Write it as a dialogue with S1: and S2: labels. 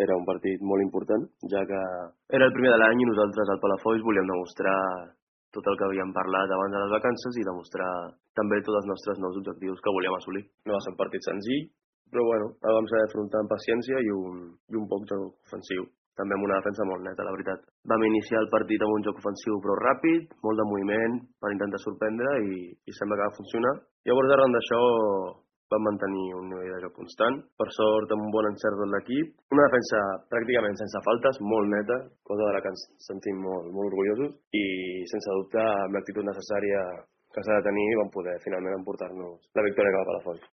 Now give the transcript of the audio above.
S1: Era un partit molt important, ja que era el primer de l'any i nosaltres al Palafolls volíem demostrar tot el que havíem parlat abans de les vacances i demostrar també tots els nostres nous objectius que volíem assolir. No va ser un partit senzill, però bueno, el vam saber afrontar amb paciència i un poc joc ofensiu. També amb una defensa molt neta, la veritat. Vam iniciar el partit amb un joc ofensiu però ràpid, molt de moviment per intentar sorprendre i sembla que va funcionar. Llavors, arran d'això, vam mantenir un nivell de joc constant. Per sort, amb un bon encert de l'equip. Una defensa pràcticament sense faltes, molt neta, cosa de la que ens sentim molt orgullosos. I, sense dubte, amb l'actitud necessària que s'ha de tenir, vam poder finalment emportar-nos la victòria cap a Palafolls.